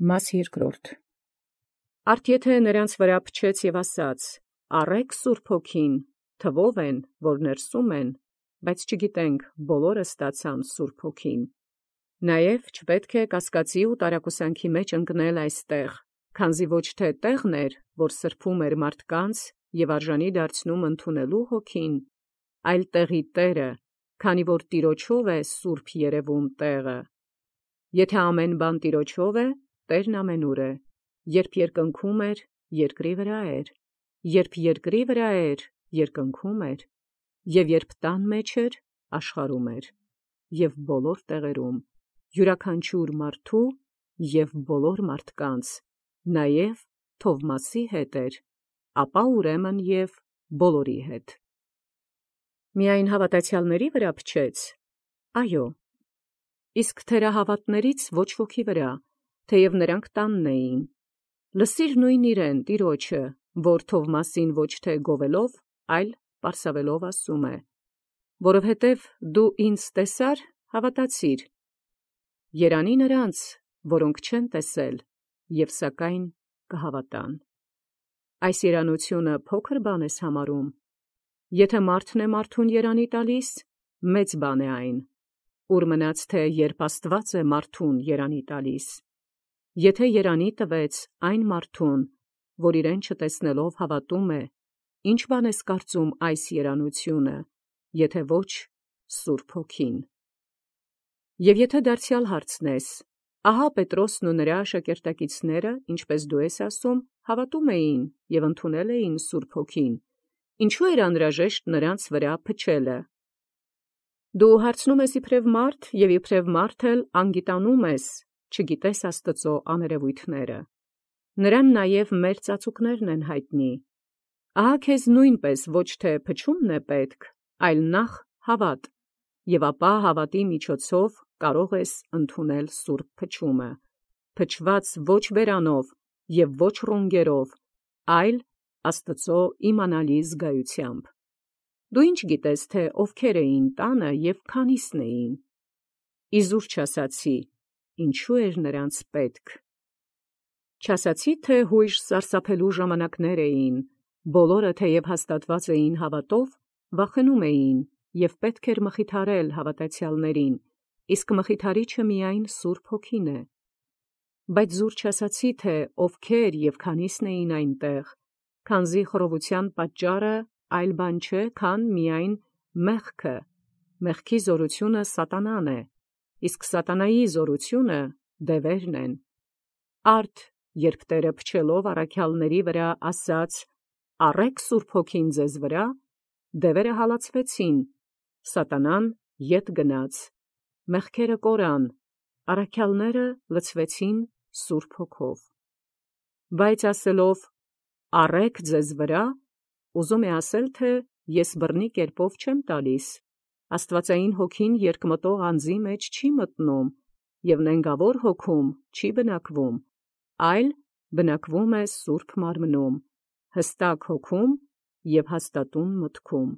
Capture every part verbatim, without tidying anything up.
Մաս երկրորդ. Արդ եթէ նրանց վրա փչեց և ասաց. «Առէք Սուրբ Հոգին, թվով են, որ ներսում են, բայց չգիտենք բոլորը ստացան Սուրբ Հոգին»։ Նաև չպետք է կասկածի ու տարակուսանքի մեջ ընկնել այստեղ, քանզի ոչ թե տեղն էր, որ սրբում էր մարդկանց և արժանի դարձնում ընդունելու Հոգին, այլ տեղի Տերը, քանի որ Տիրոջով է սուրբ երևում տեղը։ Եթե ամեն բան Տիրոջով է, Տերն ամենուր է. երբ երկնքում էր, երկրի վրա էր, երբ երկրի վրա էր, երկնքում էր, և երբ տան մեջ էր, աշխարհում էր, և բոլոր տեղերում, յուրաքանչյուր մարդու և բոլոր մարդկանց, նաև Թովմասի հետ էր, ապա ուրեմն և բոլորի հետ։ Միայն հավատացյալների վրա փչեց, այո, իսկ թերահավատաց ոչ ոքի վրա, թեև նրանք տանն էին։ Լսիր նույն իրեն Տիրոջը, որ Թովմասին ոչ թե գովելով, այլ պարսավելով ասում է. որովհետև դու ինձ տեսար, հավատացիր. երանի նրանց, որոնք չեն տեսել, և սակայն կհավատան։ Այս երանությունը փոքր բան ես համարում. եթե մարդն է մարդուն երանի տալիս, մեծ բան է այն, ուր մնաց թե երբ Աստված է մարդուն երանի տալիս։ Եթե երանի տվեց այն մարդուն, որ իրեն չտեսնելով հավատում է, ի՞նչ բան ես կարծում այս երանությունը, եթե ոչ Սուրբ Հոգին։ Եվ եթե դարձյալ հարցնես, ահա Պետրոսն ու նրա աշակերտակիցները, ինչպես դու ես ասում, հավատում էին և ընդունել էին Սուրբ Հոգին, ինչո՞ւ էր անհրաժեշտ նրանց վրա փչելը։ Դու հարցնում ես իբրև մարդ և իբրև մարդ էլ անգիտանում ես, չգիտես Աստծու աներևույթները։ Նրան նաև մեր ծածուկներն են յայտնի։ Ահա քեզ նույնպես ոչ թե փչումն է պետք, այլ նախ հավատ, և ապա հավատի միջոցով կարող ես ընդունել սուրբ փչումը, փչված ոչ բերանով և ոչ ռունգերով, այլ Աստծու իմանալի զգայությամբ։ Դու ի՞նչ գիտես, թե ովքեր էին տանը և քանիսն էին։ Իզուր չասացի, ինչու էր նրանց պետք։ Չասացի, թե հույժ սարսափելու ժամանակներ էին, բոլորը թեև հաստատված էին հավատով, վախենում էին, և պետք էր մխիթարել հավատացյալներին, իսկ մխիթարիչը միայն Սուրբ Հոգին է։ Բայց զուր չասացի, թե ովքեր և քանիսն էին այնտեղ, քանզի խռովության պատճառը այլ բան չէ, քան միայն մեղքը, մեղքի զորությունը սատանան է, իսկ սատանայի զորությունը դևերն են։ Արդ երբ Տերը փչելով առաքյալների վրա ասաց. «Առէք Սուրբ Հոգին ձեզ վրա», դևերը հալածվեցին, սատանան ետ գնաց, մեղքերը կորան, առաքյալները լցվեցին Սուրբ Հոգով։ Բայց ասելով «առէք ձեզ վրա», ուզում է ասել, թե ես բռնի կերպով չեմ տալիս, Աստվածային Հոգին երկմտող անձի մեջ չի մտնում և նենգավոր հոգում չի բնակվում, այլ բնակվում է Սուրբ Մարմնում, հստակ հոգում և հաստատուն մտքում։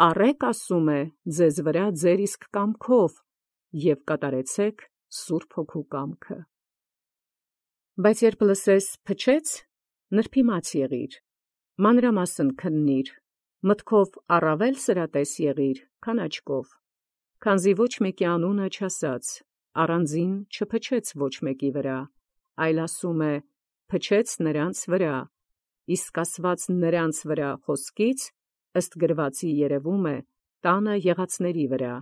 Առէք, ասում է, ձեզ վրա ձեր իսկ կամքով և կատարեցեք Սուրբ Հոգու կամքը։ Բայց երբ լսես փչեց, նրբիմաց եղիր, մանրամասն քննիր, մտքով առավել սրատես եղիր, քան աչքով, քանզի ոչ մեկի անունը չասաց, առանձին չփչեց ոչ մեկի վրա, այլ ասում է. փչեց նրանց վրա, իսկ ասված նրանց վրա խոսքից ըստ գրվածի երևում է տանը եղածների վրա,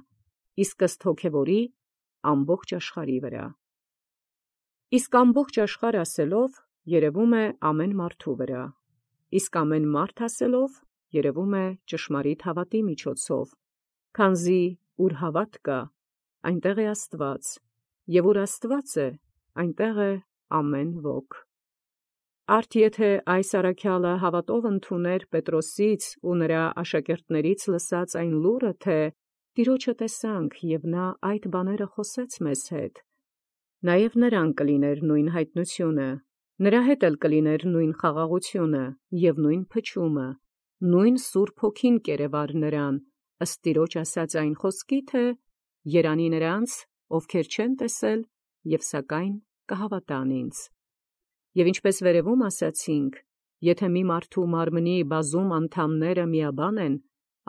իսկ ըստ հոգևորի ամբողջ աշխարհի վրա։ Իսկ ամբողջ աշխարհ ասելով երևում է ամեն մարդու վրա, իսկ ամեն մարդ ասելով երևում է ճշմարիտ հավատի միջոցով, քանզի ուր հավատ կա, այնտեղ է Աստված, և ուր Աստված է, այնտեղ է ամեն ոք։ Արդ եթե այս առաքյալը հավատով ընդուներ Պետրոսից ու նրա աշակերտներից լսած այն լուրը, թե «Տիրոջը տեսանք, և նա այդ բաները խոսեց մեզ հետ», նաև նրան կլիներ նույն հայտնությունը, նրա հետ էլ կլիներ նույն խաղաղությունը և նույն փչումը, նույն Սուրբ Հոգին կերևար նրան, ըստ Տիրոջ ասած այն խոսքի, թե «Երանի նրանց, ովքեր չեն տեսել և սակայն կհավատան ինձ։ Եվ ինչպես վերևում ասացինք, եթե մի մարդու մարմնի բազում անդամները միաբան են,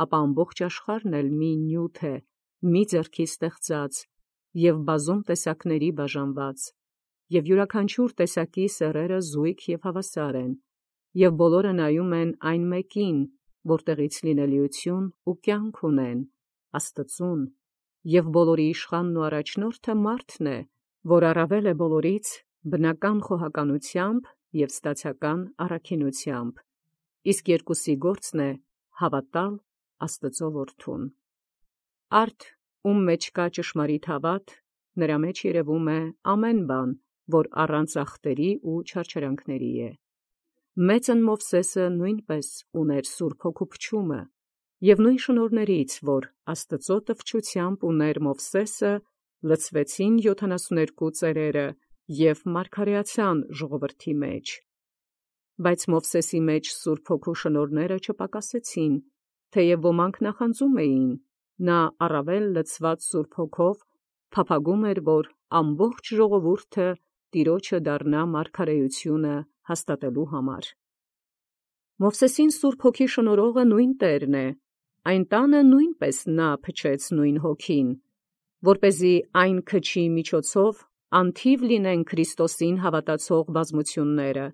ապա ամբողջ աշխարհն էլ մի նյութ է, մի ձեռքի ստեղծած և բազում տեսակների բաժանված, և յուրաքանչյուր տեսակի սեռերը զույգ և հավասար են, և բոլորը նայում են այն մեկին, որտեղից լինելիություն ու կյանք ունեն, Աստծուն, և բոլորի իշխանն ու առաջնորդը մարդն է, որ առավել է բոլորից բնական խոհականությամբ և ստացական առաքինությամբ, իսկ երկուսի գործն է հավատալ Աստծու որդուն։ Արդ, ում մեջ կա ճշմարիտ հավատ, նրա մեջ երևում է ամեն բան, որ առանց ախտերի ու չարչարանքների է։ Մեծն Մովսեսը նույնպես ուներ Սուրբ Հոգու փչումը, և նույն շնորհներից, որ Աստծու տվչությամբ ուներ Մովսեսը, լցվեցին յոթանասուներկու ծերերը և մարգարեացան ժողովրդի մեջ։ Բայց Մովսեսի մեջ Սուրբ Հոգու շնորհները չպակասեցին, թեև ոմանք նախանձում էին, նա առավել լցված Սուրբ Հոգով փափագում էր, որ ամբողջ ժողովուրդը Տիրոջը դառնա մարգարեությունը հաստատելու համար։ Մովսեսին Սուրբ Հոգի շնորհողը նույն Տերն է, այն տանը նույնպես նա փչեց նույն Հոգին, որպեսզի այն քչի միջոցով անթիվ լինեն Քրիստոսին հավատացող բազմությունները,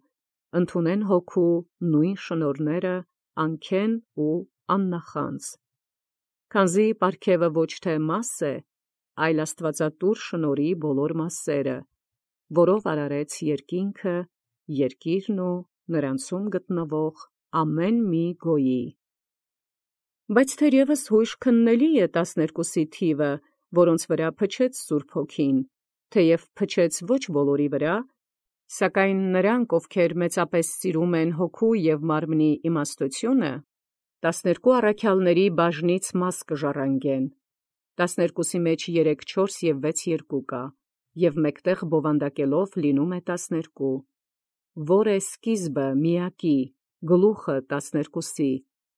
ընդունեն Հոգու նույն շնորհները անքեն ու աննախանձ։ Քանզի պարգևը ոչ թե մաս է, այլ աստվածատուր շնորհի բոլոր մասերը, որով արարեց երկինքը, երկիրն ու նրանցում գտնվող ամեն մի գոյի։ Բայց թերևս հույժ քննելի է տասներկուսի թիվը, որոնց վրա փչեց Սուրբ Հոգին, թեև փչեց ոչ բոլորի վրա, սակայն նրանք, ովքեր մեծապես սիրում են Հոգու և մարմնի իմաստությունը, տասներկու առաքյալների բաժնից մաս կժառանգեն։ Տասներկուսի մեջ երեք, չորս և վեց երկու կա, և մեկտեղ բովանդակելով լինում է տասներկու, որ է սկիզբը միակի, գլուխը տասներկուսի,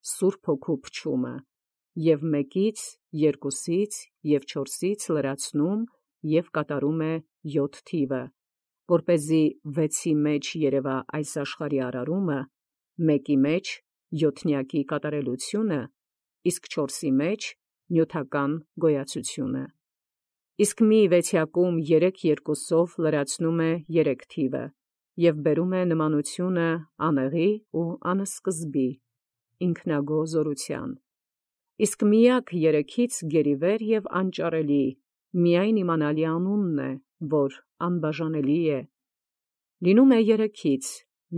Սուրբ Հոգու փչումը, և մեկից, երկուսից և չորսից լրացնում և կատարում է յոթ թիվը, որպեսզի վեցի մեջ երևա այս աշխարհի արարումը, մեկի մեջ յոթնյակի կատարելությունը, իսկ չորսի մեջ նյութական գոյացությունը։ Իսկ մի վեցյակում երեք երկուսով լրացնում է երեք թիվը և բերում է նմանությունը անեղի ու անսկզբի, ինքնագոհ զորության։ Իսկ միակ երեքից գերիվեր և անճարելի, միայն իմանալի անունն է, որ անբաժանելի է։ Լինում է երեքից,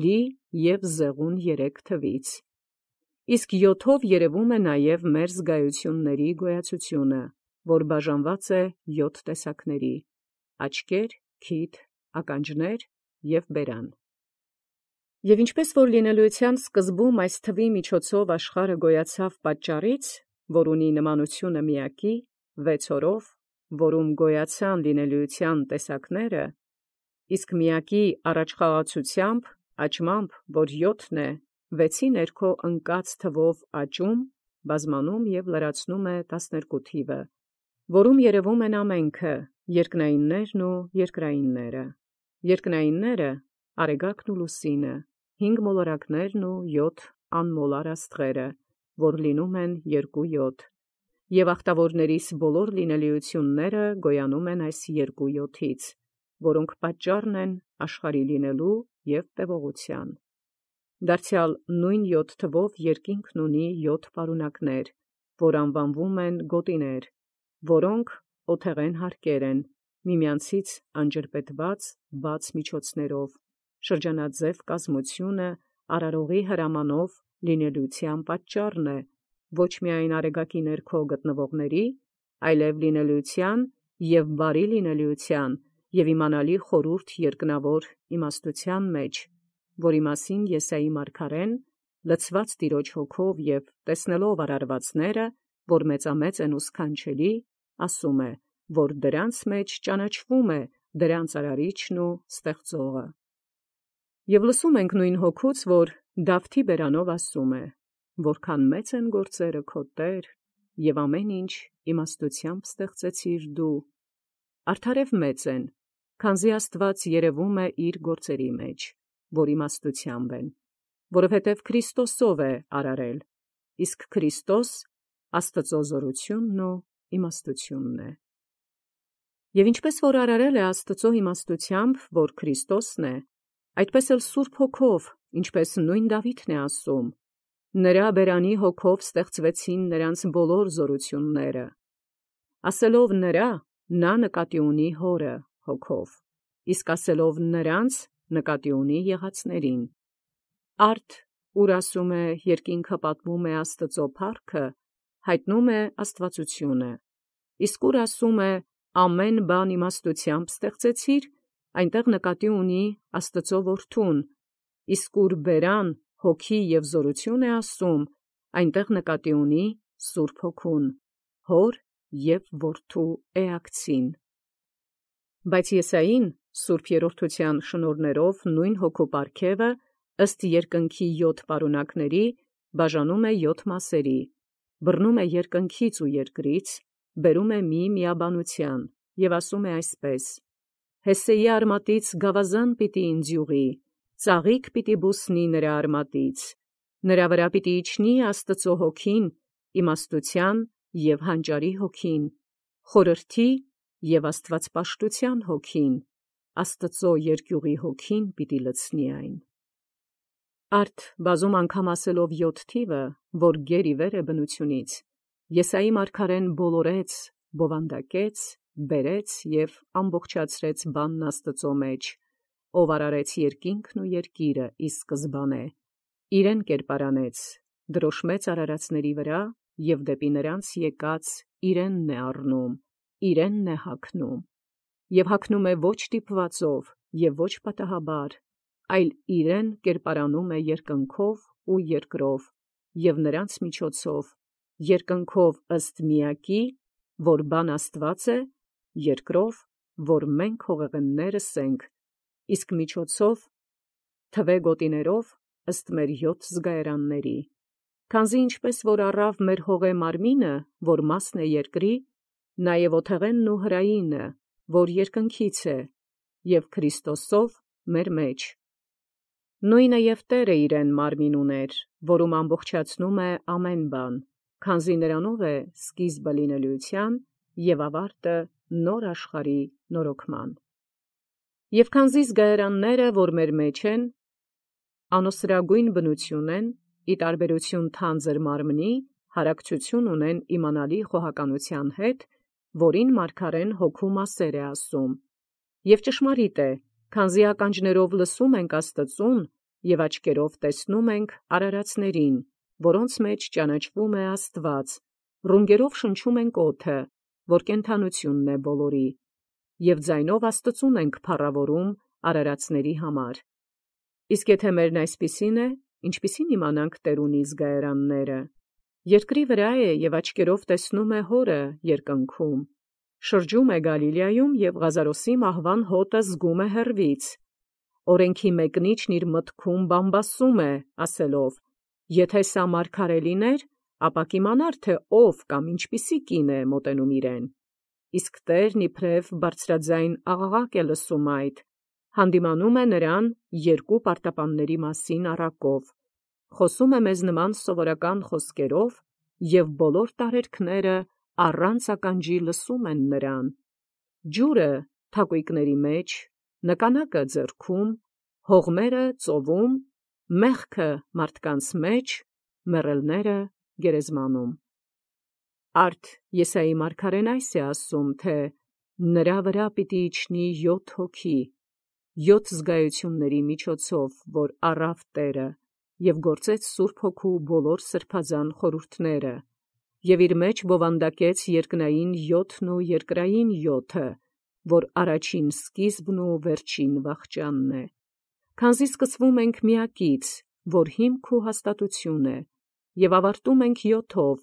լի և զեղուն երեք թվից։ Իսկ յոթով երևում է նաև մեր զգայությունների գոյացությունը, որ բաժանված է յոթ տեսակների՝ աչքեր, քիթ, ականջներ և բերան։ Եվ ինչպես որ լինելոյության սկզբում այս թվի միջոցով աշխարհը գոյացավ պատճառից, որ ունի նմանությունը միակի, վեց օրով, որում գոյացան լինելոյության տեսակները, իսկ միակի առաջխաղացությամբ, աճմամբ, որ յոթն է, վեցի ներքո ընկած թվով աճում, բազմանում և լրացնում է տասներկու թիվը, որում երևում են ամենքը, երկնայիններն ու երկրայինները։ Երկնայինները՝ Արեգակն ու Լուսինը, հինգ մոլորակներն ու յոթ անմոլար աստղերը, որ լինում են երկու յոթ, և ախտավորներիս բոլոր լինելիությունները գոյանում են այս երկու յոթից, որոնք պատճառն են աշխարհի լինելու և տևողության։ Դարձյալ նույն յոթ թվով երկինքն ունի յոթ պարունակներ, որ անվանվում են գոտիներ, որոնք օթեղեն հարկեր են, միմյանցից անջրպետված բաց միջոցներով, շրջանաձև կազմությունը արարողի հրամանով լինելիության պատճառն է, ոչ միայն Արեգակի ներքո գտնվողների, այլև լինելիության և բարի լինելիության և իմանալի խորհուրդ երկնավոր իմաստության մեջ, որի մասին Եսայի մարգարեն, լցված Տիրոջ Հոգով և տեսնելով արարվածները, որ մեծամեծ են ու սքանչելի, ասում է, որ դրանց մեջ ճանաչվում է դրանց արարիչն ու ստեղծողը։ Եվ լսում ենք նույն Հոգուց, որ Դավթի բերանով ասում է. «Որքան մեծ են գործերը քո Տեր, և ամեն ինչ իմաստությամբ ստեղծեցիր դու, արդարև մեծ են, քանզի Աստված երևում է իր գործերի մեջ, որ իմաստությամբ են, որովհետև Քրիստոսով է արարել, իսկ Քրիստոս Աստծո զորությունն ու իմաստությունն է։ Եվ ինչպես որ արարել է Աստծո իմաստությամբ, որ Քրիստոսն է, այդպես էլ Սուրբ Հոգով, ինչպես նույն Դավիթն է ասում, նրա բերանի հոգով ստեղծվեցին նրանց բոլոր զորությունները, ասելով նրա, նա նկատի ունի հորը հոգով, իսկ ասելով նրանց նկատի ունի եղածներին։ Արդ, ուր ասում է երկինքը պատմում է Աստծո փառքը, հայտնում է աստվածությունը, իսկ ուր ասում է ամեն բան իմաստությամբ ստեղծեցիր, այնտեղ նկատի ունի Աստծո որդուն, իսկ ուր բերան, հոգի և զորություն է ասում, այնտեղ նկատի ունի Սուրբ Հոգուն, հոր և որդու էակցին։ Բայց Եսային Սուրբ Երրորդության շնորհներով նույն հոգու պարգևը ըստ երկնքի յոթ պարունակների բաժանում է յոթ մասերի, բռնում է երկնքից ու երկրից, բերում է մի միաբանության և ասում է այսպես. «Հեսեի արմատից գավազան պիտի ինձ յուղի, ծաղիկ պիտի բուսնի նրա արմատից, նրա վրա պիտի իջնի Աստծո հոգին, իմաստության և հանճարի հոգին, խորհրդի և աստվածպաշտության հոգին, Աստծո երկյուղի հոգին պիտի լցնի այն»։ Արդ բազում անգամ ասելով յոթ թիվը, որ գեր ի վեր է բնությունից, Եսայի մարգարեն բոլորեց, բովանդակեց, բերեց և ամբողջացրեց բանն Աստծո մեջ, ով արարեց երկինքն ու երկիրը ի սկզբանե, իրեն կերպարանեց, դրոշմեց արարածների վրա և դեպի նրանց եկած իրենն է առնում, իրենն է հագնում, և հագնում է ոչ դիպվածով և ոչ պատահաբար, այլ իրեն կերպարանում է երկնքով ու երկրով և նրանց միջոցով, երկնքով ըստ միակի, որ բան Աստված է, երկրով, որ մենք հողեղեններս ենք, իսկ միջոցով թվե գոտիներով ըստ մեր յոթ զգայարանների, քանզի ինչպես որ առավ մեր հողե մարմինը, որ մասն է երկրի, նաև օթեղենն ու հրայինը, որ երկնքից է, և Քրիստոսով մեր մեջ։ Նույնը և Տերը իրեն մարմին ուներ, որում ամբողջացնում է ամեն բան, քանզի նրանով է սկիզբը լինելիության և ավարտը նոր աշխարհի նորոգման։ Եվ քանզի զգայարանները, որ մեր մեջ են, անոսրագույն բնություն են, ի տարբերություն թանձր մարմնի, հարակցություն ունեն իմանալի խոհականության հետ, որին մարգարեն հոգու մասեր է ասում։ Եվ ճշմարիտ է, քանզի ականջներով լսում ենք Աստծուն և աչքերով տեսնում ենք արարածներին, որոնց մեջ ճանաչվում է Աստված, ռունգերով շնչում ենք օդը, որ կենդանությունն է բոլորի, և ձայնով Աստծուն ենք փառավորում արարածների համար։ Իսկ եթե մերն այսպիսին է, ինչպիսի՞ն իմանանք տերունի զգայարանները։ Երկրի վրա է և աչքերով տեսնում է հորը երկնքում, շրջում է Գալիլեայում և Ղազարոսի մահվան հոտը զգում է հեռվից։ Օրենքի մեկնիչն իր մտքում բամբասում է, ասելով. «Եթե սա մարգարե լիներ, ապա կիմանար, թե ով կամ ինչպիսի կին է մոտենում իրեն»։ Իսկ Տերն իբրև բարձրաձայն աղաղակ է լսում այդ, հանդիմանում է նրան երկու պարտապանների մասին առակով, խոսում է մեզ նման սովորական խոսքերով, և բոլոր տարերքները առանց ականջի լսում են նրան։ Ջուրը թակույկների մեջ, նկանակը ձեռքում, հողմերը ծովում, մեղքը մարդկանց մեջ, մեռելները գերեզմանում։ Արդ Եսայի մարգարեն այս է ասում, թե նրա վրա պիտի իջնի յոթ հոգի, յոթ զգայությունների միջոցով, որ առավ Տերը, և գործեց Սուրբ Հոգու բոլոր սրբազան խորհուրդները, և իր մեջ բովանդակեց երկնային յոթն ու երկրային յոթը, որ առաջին սկիզբն ու վերջին վախճանն է։ Քանզի սկսվում ենք միակից, որ հիմք ու հաստատություն է, և ավարտում ենք յոթով,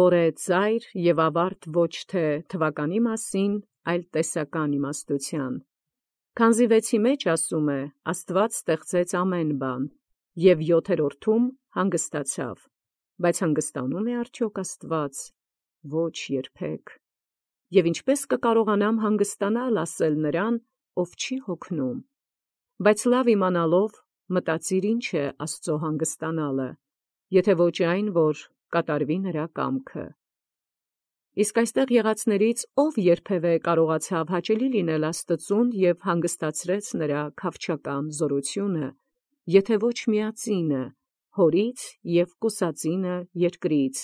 որ է ծայր և ավարտ ոչ թե թվականի մասին, այլ տեսական իմաստության։ Քանզի վեցի մեջ ասում է. «Աստված ստեղծեց ամեն բան, և յոթերորդում հանգստացավ», բայց հանգստանո՞ւմ է արդյոք Աստված։ Ոչ երբեք։ Եվ ինչպե՞ս կկարողանամ հանգստանալ ասել նրան, ով չի հոգնում։ Բայց լավ իմանալով մտածիր ինչ է Աստծո հանգստանալը, եթե ոչ այն, որ կատարվի նրա կամքը։ Իսկ այստեղ եղածներից ով երբևէ կարողացավ հաճելի լինել Աստծուն և հանգստացրեց նրա քավչական զորությունը, եթե ոչ միածինը, հորից և կուսածինը երկրից,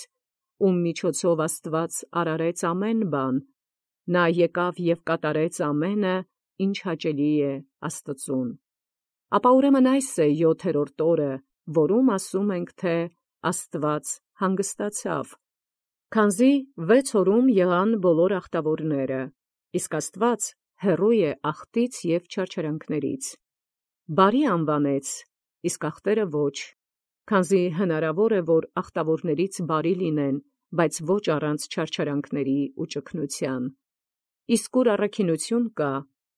ում միջոցով Աստված արարեց ամեն բան, նա եկավ և կատարեց ամենը, ինչ հաճելի է Աստծուն։ Ապա ուրեմն այս է յոթերորդ օրը, որում ասում ենք, թե Աստված հանգստացավ, քանզի վեց օրում եղան բոլոր ախտավորները, իսկ Աստված հեռու է ախտից և չարչարանքներից։ Բարի անվանեց, իսկ ախտերը ոչ, քանզի հնարավոր է, որ ախտավորներից բարի լինեն, բայց ոչ առանց չարչարանքների ու ճգնության։ Իսկ ուր առաքինություն կա,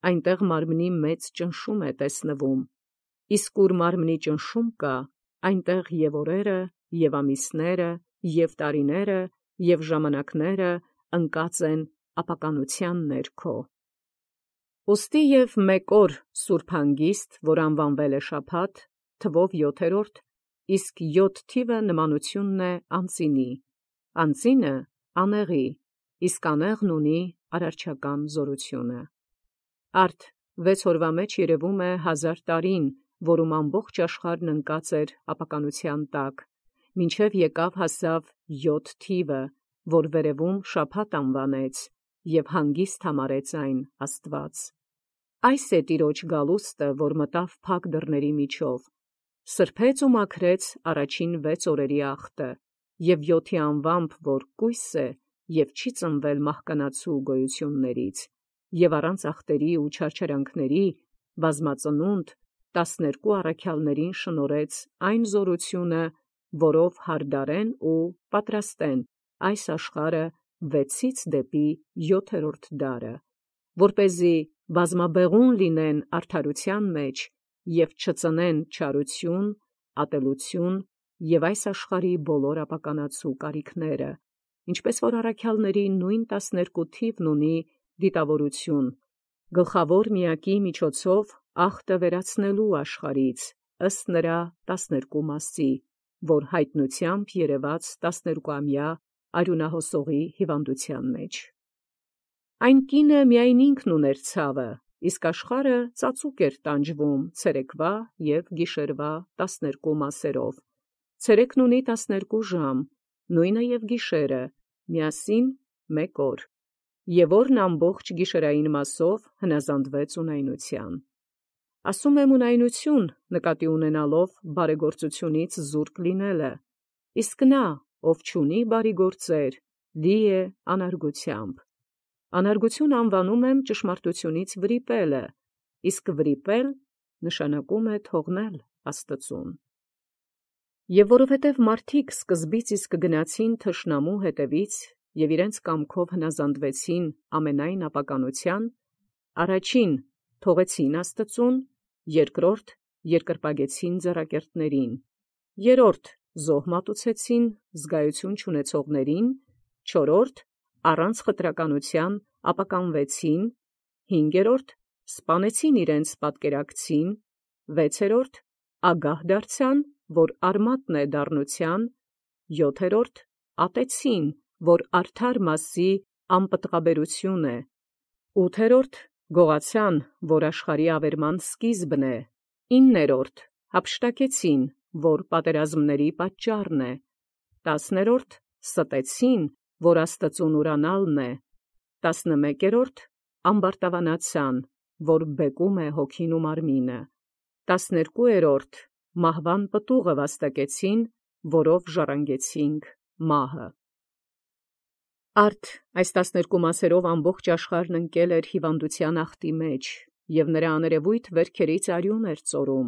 այնտեղ մարմնի մեծ ճնշում է տեսնվում, իսկ ուր մարմնի ճնշում կա, այնտեղ և օրերը, և ամիսները, և տարիները, և ժամանակները ընկած են ապականության ներքո։ Ուստի և մեկ օր սուրբ հանգիստ, որ անվանվել է շաբաթ, թվով յոթերորդ, իսկ յոթ թիվը նմանությունն է անծինի, անծինը անեղի, իսկ անեղն ունի արարչական զորությունը։ Արդ վեց օրվա մեջ երևում է հազար տարին, որում ամբողջ աշխարհն ընկած էր ապականության տակ, մինչև եկավ հասավ յոթ թիվը, որ վերևում շաբաթ անվանեց, և հանգիստ համարեց այն Աստված։ Այս է Տիրոջ գալուստը, որ մտավ փակ դռների միջով, սրբեց ու մաքրեց առաջին վեց օրերի ախտը, և յոթի անվամբ, որ կույս է և չի ծնվել մահկանացու գոյություններից, և առանց ախտերի ու չարչարանքների, բազմածնունդ, տասներկու առաքյալներին շնորհեց այն զորությունը, որով հարդարեն ու պատրաստեն այս աշխարհը վեցից դեպի յոթերորդ դարը, որպեսզի բազմաբեղուն լինեն արդարության մեջ և չծնեն չարություն, ատելություն և այս աշխարհի բոլոր ապականացու կարիքները, ինչպես որ առաքյալների նույն տասներկու թիվն ունի դիտավորություն, գլխավոր միակի միջոցով ախտը վերացնելու աշխարհից, ըստ նրա տասներկու մասի, որ հայտնությամբ երևաց տասներկուամյա արյունահոսողի հիվանդության մեջ։ Այն կինը միայն ինքն ուներ ցավը, իսկ աշխարհը ծածուկ էր տանջվում ցերեկվա և գիշերվա տասներկու մասերով։ Ցերեկն ունի տասներկու ժամ, նույնը և գիշերը, միասին մեկ օր, և օրն ամբողջ գիշերային մասով հնազանդվեց ունայնության։ Ասում եմ ունայնություն, նկատի ունենալով բարեգործությունից զուրկ լինելը, իսկ նա, ով չունի բարի գործեր, լի է անարգությամբ։ Անարգություն անվանում եմ ճշմարտությունից վրիպելը, իսկ վրիպել նշանակում է թողնել Աստծուն։ Եվ որովհետև մարդիկ սկզբից իսկ գնացին թշնամու հետևից և իրենց կամքով հնազանդվեցին ամենայն ապականության, առաջին թողեցին Աստծուն, երկրորդ երկրպագեցին ձեռակերտներին, երրորդ զոհ մատուցեցին զգայություն չունեցողներին, չորրորդ առանց խտրականության ապականվեցին, հինգերորդ սպանեցին իրենց պատկերակցին, վեցերորդ ագահ դարձան, որ արմատն է դառնության, յոթերորդ ատեցին, որ արդար մասի անպտղաբերություն է, ութերորդ գողացան, որ աշխարհի ավերման սկիզբն է, իններորդ յափշտակեցին, որ պատերազմների պատճառն է, տասներորդ ստեցին, որ Աստծուն ուրանալն է, տասնմեկերորդ ամբարտավանացան, որ բեկում է հոգին ու մարմինը, տասներկուերորդ մահվան պտուղը վաստակեցին, որով ժառանգեցինք մահը։ Արդ այս տասներկու մասերով ամբողջ աշխարհն ընկել էր հիվանդության ախտի մեջ, և նրա աներևույթ վերքերից արյուն էր ծորում,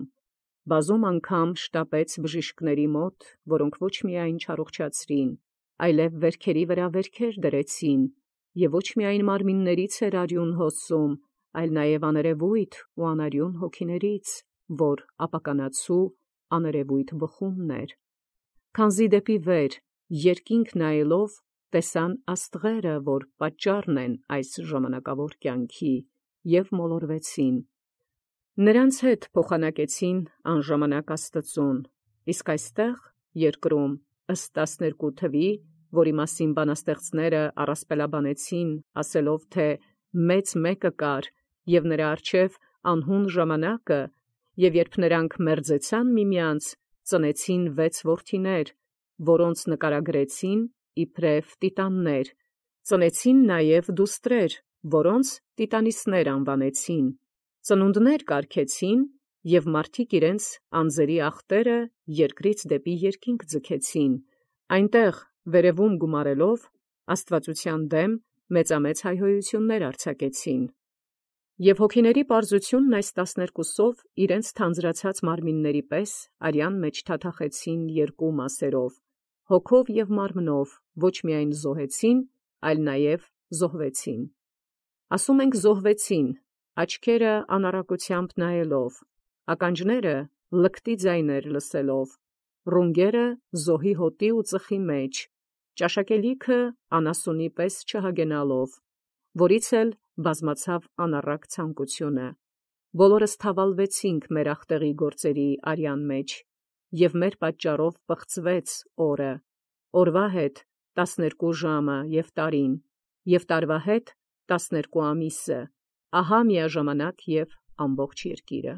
բազում անգամ շտապեց բժիշկների մոտ, որոնք ոչ միայն չառողջացրին, այլև վերքերի վրա վերքեր դրեցին, և ոչ միայն մարմիններից էր արյուն հոսում, այլ նաև աներևույթ ու անարյուն հոգիներից, որ ապականացու աներևույթ բխումն էր։ Քանզի դեպի վեր, երկինք նայելով, տեսան աստղերը, որ պատճառն են այս ժամանակավոր կյանքի, և մոլորվեցին։ Նրանց հետ փոխանակեցին անժամանակ Աստուծուն, իսկ այստեղ երկրում ըստ տասներկու թվի, որի մասին բանաստեղծները առասպելաբանեցին, ասելով, թե մեծ մեկը կար, և նրա առջև անհուն ժամանակը, և երբ նրանք մերձեցան միմյանց, ծնեցին վեց որդիներ, որոնց նկարագրեցին իբրև տիտաններ, ծնեցին նաև դուստրեր, որոնց տիտանիսներ անվանեցին, ծնունդներ կարգեցին, և մարդիկ իրենց անձերի ախտերը երկրից դեպի երկինք ձգեցին, այնտեղ վերևում գումարելով աստվածության դեմ մեծամեծ հայհոյություններ արձակեցին։ Եվ հոգիների պարզությունն այս տասներկուսով իրենց թանձրացած մարմինների պես արյան մեջ թաթախեցին երկու մասերով, հոգով և մարմնով ոչ միայն զոհեցին, այլ նաև զոհվեցին։ Ասում ենք զոհվեցին, աչքերը անառակությամբ նայելով, ականջները լկտի ձայներ լսելով, ռունգերը զոհի հոտի ու ծխի մեջ, ճաշակելիքը անասունի պես չհագենալով, որից էլ բազմացավ անառակ ցանկությունը։ Բոլորս թավալվեցինք մեր ախտեղի գործերի արյան մեջ, և մեր պատճառով պղծվեց օրը, օրվա հետ տասներկու ժամը և տարին, և տարվա հետ տասներկու ամիսը, ահա միաժամանակ և ամբողջ երկիրը։